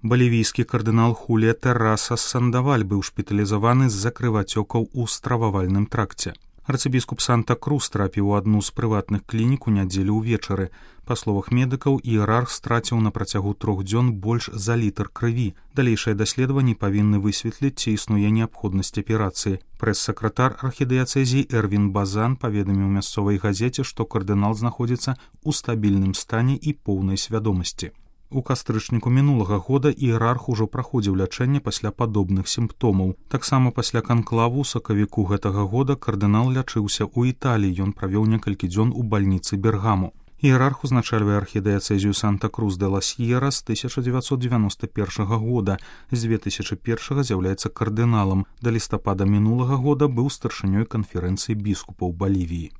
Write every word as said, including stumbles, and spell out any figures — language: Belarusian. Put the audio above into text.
Балівійскі кардынал Хулія Терраса Сандаваль быў шпіталізаваны з-за крывацёкаў у стрававальным тракце. Арцыбіскуп Санта-Крус трапіў у адну з прыватных клінік у нядзелю ўвечары. Па словах медыкаў, іерарх страціў на працягу трох дзён больш за літр крыві. Далейшыя даследаванні павінны высветліць, ці існуе неабходнасць аперацыі. Прэс-сакратар архідыяцэзіі Эрвін Базан паведаміў мясцовай газеце, што кардынал знаходзіцца ў стабільным стане і поўнай свядомасці. У кастрычніку мінулага года іерарх ужо праходзіў лячэнне пасля падобных сімптомаў. Таксама пасля канклаву ў сакавіку гэтага года кардынал лячыўся ў Італіі. Ён правёў некалькі дзён у бальніцы Бергаму. Іерарх узначальвае архідыяцэзію Санта-Крус де ла Сьерра з тысяча дзевяцьсот девяносто першага года. З две тысячы першага з'яўляецца кардыналам. Да лістапада мінулага года быў старшынёй канферэнцыі біскупаў Балівіі.